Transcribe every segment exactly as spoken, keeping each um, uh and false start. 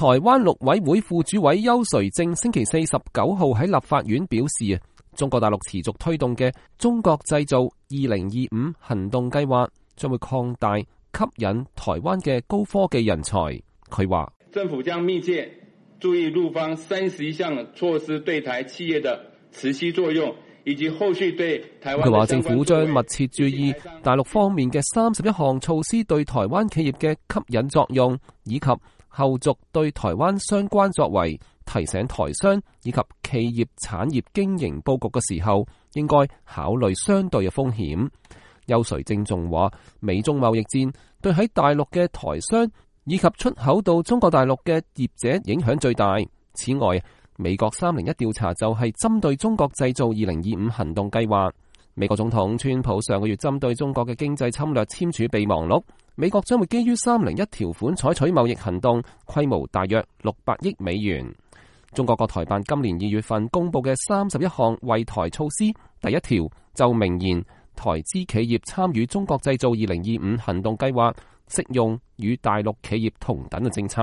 台灣陸委會副主委邱垂正星期四十九號喺立法院表示啊，中國大陸持續推動嘅中國製造二零二五行動計劃將會擴大吸引台灣嘅高科技人才。佢話政府將密切注意陸方三十一項措施對台企業的持續作用，以及後續對台灣。佢話政府將密切注意大陸方面嘅三十一項措施對台灣企業嘅吸引作用，以及後續對台灣相關作為，提醒台商以及企業產業經營佈局嘅時候，應該考慮相對嘅風險。邱垂正仲話，美中貿易戰對喺大陸嘅台商以及出口到中國大陸嘅業者影響最大。此外，美國三零一調查就係針對中國製造二零二五行動計劃。美國總統川普上個月針對中國嘅經濟侵略簽署備忘錄，美國將會基於三零一條款採取貿易行動，規模大約六百億美元。中國國台辦今年二月份公布嘅三十一項惠台措施，第一條就明言台資企業參與中國製造二零二五行動計劃，適用與大陸企業同等嘅政策。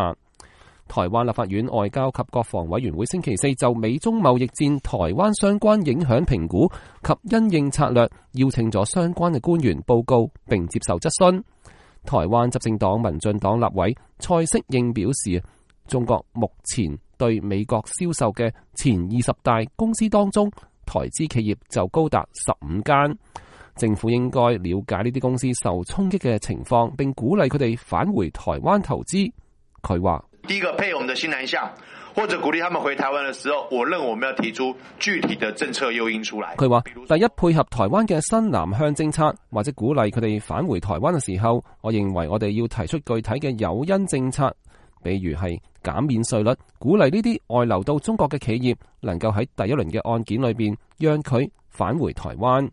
台灣立法院外交及國防委員會星期四就美中貿易戰台灣相關影響評估及因應策略，邀請咗相關嘅官員報告並接受質詢。台灣執政黨民進黨立委蔡適應表示，中國目前對美國銷售嘅前二十大公司當中，台資企業就高達十五間。政府應該了解呢啲公司受衝擊嘅情況，並鼓勵佢哋返回台灣投資。佢話：第一個配我們的新南向，或者鼓勵他們回台灣的時候，我認為我們要提出具體的政策誘因出來。佢話：第一，配合台灣嘅新南向政策，或者鼓勵佢哋返回台灣嘅時候，我認為我哋要提出具體嘅誘因政策，比如係減免稅率，鼓勵呢啲外流到中國嘅企業能夠喺第一輪嘅案件裏邊讓佢返回台灣。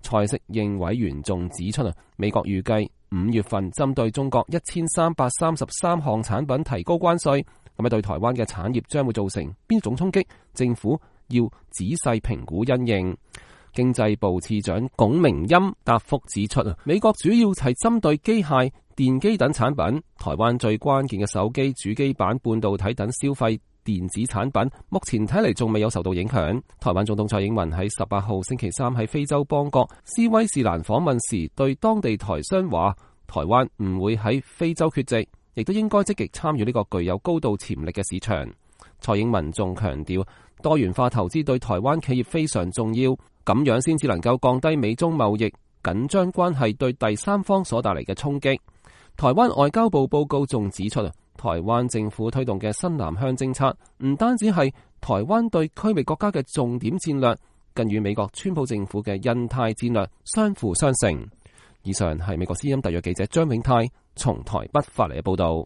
蔡適應委員仲指出啊，美國預計五月份針對中國一千三百三十三項產品提高關稅，咁啊對台灣嘅產業將會造成邊種衝擊？政府要仔細評估因應。經濟部次長龔明鑫答覆指出啊，美國主要係針對機械、電機等產品，台灣最關鍵嘅手機、主機板、半導體等消費電子產品，目前睇嚟仲未有受到影響。台灣總統蔡英文喺十八號星期三喺非洲邦國斯威士蘭訪問時，對當地台商話：台灣唔會喺非洲缺席，亦都應該積極參與呢個具有高度潛力嘅市場。蔡英文仲強調，多元化投資對台灣企業非常重要，咁樣先至能夠降低美中貿易緊張關係對第三方所帶嚟嘅衝擊。台灣外交部報告仲指出啊，台灣政府推動嘅新南向政策唔單止係台灣對區域國家嘅重點戰略，更與美國川普政府嘅印太戰略相輔相成。以上係美國之音特約記者張永泰從台北發嚟嘅報道。